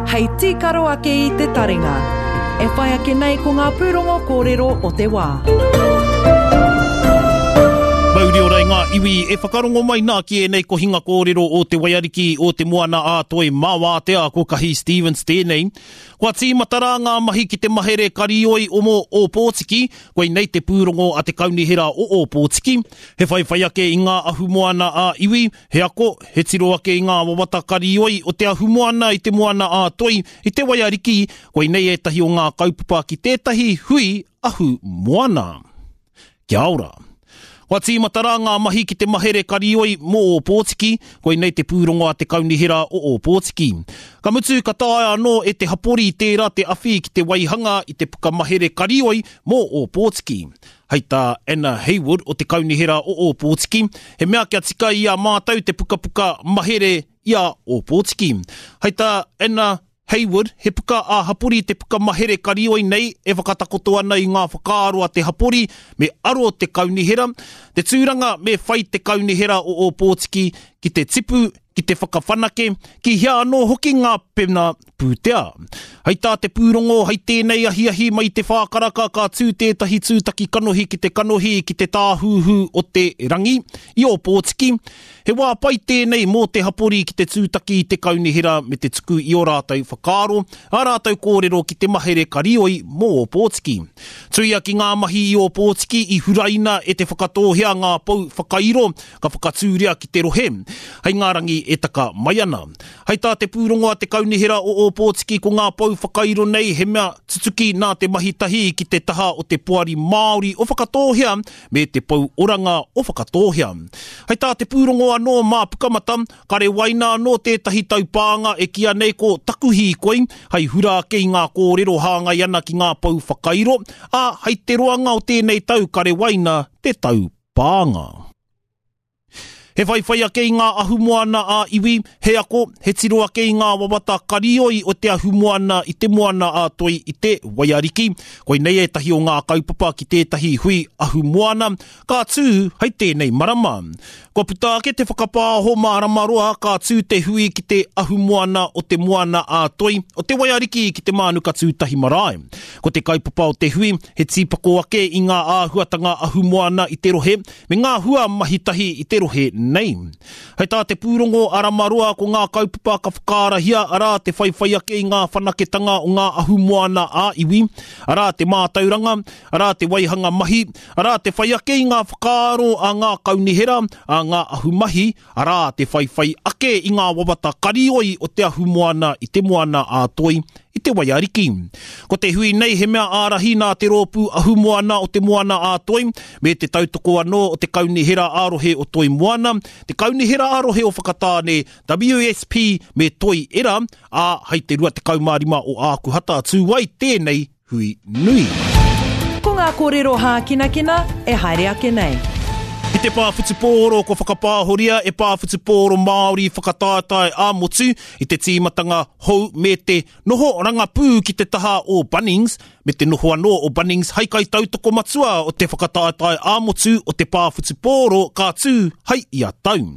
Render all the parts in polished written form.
Hei tīkaro ake i te taringa. E whai ake nei ko ngā pūrongo kōrero o te wā. Mauri ora i ngā iwi e whakarongo mai nā ki ēnei kohinga kōrero o Te Waiariki o Te Moana ā Toi mā Wātea ko Kahi Stevens tēnei. Kua tīmata rā ngā mahi ki te mahere karioi o mō Ōpōtiki, koinei te pūrongo a te Kaunihera o Ōpōtiki. He whaiwhai ake i ngā ahumoana ā iwi, He ako, he tiro ake i ngā wawata karioi o te ahumoana i te moana ā-toi, i te waiariki, koinei ētahi o ngā kaupapa ki tētahi hui ahumoana. Kia ora. Kua tīmata rā ngā mahi ki te mahere karioi mō Ōpōtiki, koinei te pūrongo a te Kaunihera o Ōpōtiki. Ka mutu, ka taea anō e te hapori tērā te awhi ki te waihanga i te puka mahere karioi mō Ōpōtiki. Hei tā Anna Hayward o te Kaunihera o Ōpōtiki, he mea kia tika i a mātou te pukapuka mahere i a Ōpōtiki. Hei tā Anna Hayward, he puka ā-hapori te puka mahere karioi nei e whakatakoto ana i ngā whakaaro a te hapori me aro te kaunihera, te tūranga me whai te kaunihera o Ōpōtiki ki te tipu, ki te whakawhanake, ki hea anō hoki ngā pena pūtea. Hei tā te pūrongo, hei tēnei ahiahi mai te whākaraka ka tū tētahi tūtaki kanohi ki te kanohi ki te tāhuhu o te rangi i Ōpōtiki. He wā pai tēnei mō te hapori ki te tūtaki i te kaunihera me te tuku i ō rātou whakaaro, ā rātou kōrero ki te mahere karioi mō Ōpōtiki. Tuia ki ngā mahi i Ōpōtiki i huraina e Te Whakatōhea ngā pou whakairo ka whakatūria ki te rohe hei ngā rangi e taka mai ana. Hei tā te pūrongo a te Kaunihera o Ōpōtiki ko ngā pou whakairo nei he mea tutuki nā te mahi tahi ki te taha o te Poari Māori o Whakatōhea me te Pou Oranga o Whakatōhea. Hei tā te pūrongo anō mā Pukamata, ka rewaina anō tētahi taupānga e kīa nei ko Taku Hīkoi hei hura ake i ngā kōrero hāngai ana ki ngā pou whakairo, ā, hei te roanga o tēnei tau ka rewaina te taupānga. He whaiwhai ake i ngā ahumoana ā-iwi, he ako, he tiro ake i ngā wawata karioi o te ahumoana i te moana ā-toi i te waiariki. Koinei ētahi o ngā kaupapa ki tētahi hui ahumoana ka tū hei tēnei marama. Kua puta ake te whakapāho mārama roa ka tū te hui ki te ahumoana o te moana ā-toi o te waiariki ki te Mānuka Tūtahi Marae. Ko te kaupapa o te hui he tīpako ake i ngā āhuatanga ahumoana i te rohe me ngā hua mahi tahi i te rohe nei. Hei tā te pūrongo a Ramaroa ko ngā kaupapa ka whakaarahia arā te whaiwhai ake i ngā whanaketanga o ngā ahumoana ā-iwi, arā te mātauranga, arā te waihanga mahi, arā te whai ake i ngā whakaaro a ngā kaunihera, a ngā ahumahi, arā te whaiwhai ake i ngā wawata karioi o te ahumoana i te moana ā-toi, i te waiariki. Ko te hui nei he mea ārahi nā te rōpū ahumoana o te moana ā-toi, me te tautoko anō o te Kaunihera ā-rohe o Toi Moana, te Kaunihera ā-rohe o Whakatāne, WSP me Toi Era, ā, hei te 25 o Ākuhata tū ai tēnei hui nui. Ko ngā kōrero hākinakina e haere ake nei. I te pā whutupōro kua whakapāhoria e Pā Whutupōro Māori whakataetae ā-motu i te tīmatanga hou me te noho rangapū ki te taha o Bunnings me te noho anō o Bunnings hai kaitautoko matua o te whakataetae ā-motu o te pā whutupōro ka tū hai ia tau.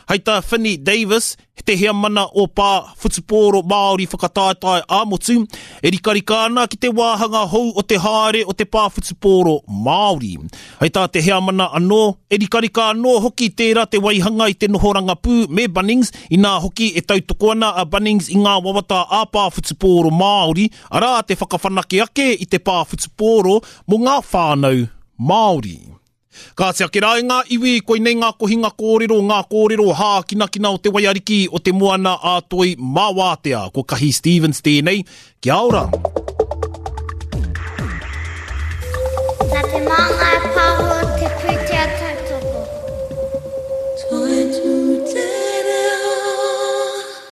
Hai tā Finney Davis, He te heamana o Pā Whutupōro Māori Whakataetae ā-Motu, e rikarika ana ki te wāhanga hou o te haere o te Pā Whutupōro Māori. Hei tā te heamana anō, e rikarika anō hoki tērā te waihanga i te noho rangapū me Bunnings, inā hoki e tautoko ana a Bunnings i ngā wawata ā-Pā Whutupōro Māori, arā te whakawhanake ake i te pā whutupōro mō ngā whānau Māori. Kāti ake rā e ngā iwi, koinei ngā kohinga kōrero, ngā kōrero hākinakina o te waiariki o te moana ā-toi mā wātea. Ko Kahi Stevens tēnei. Kia ora!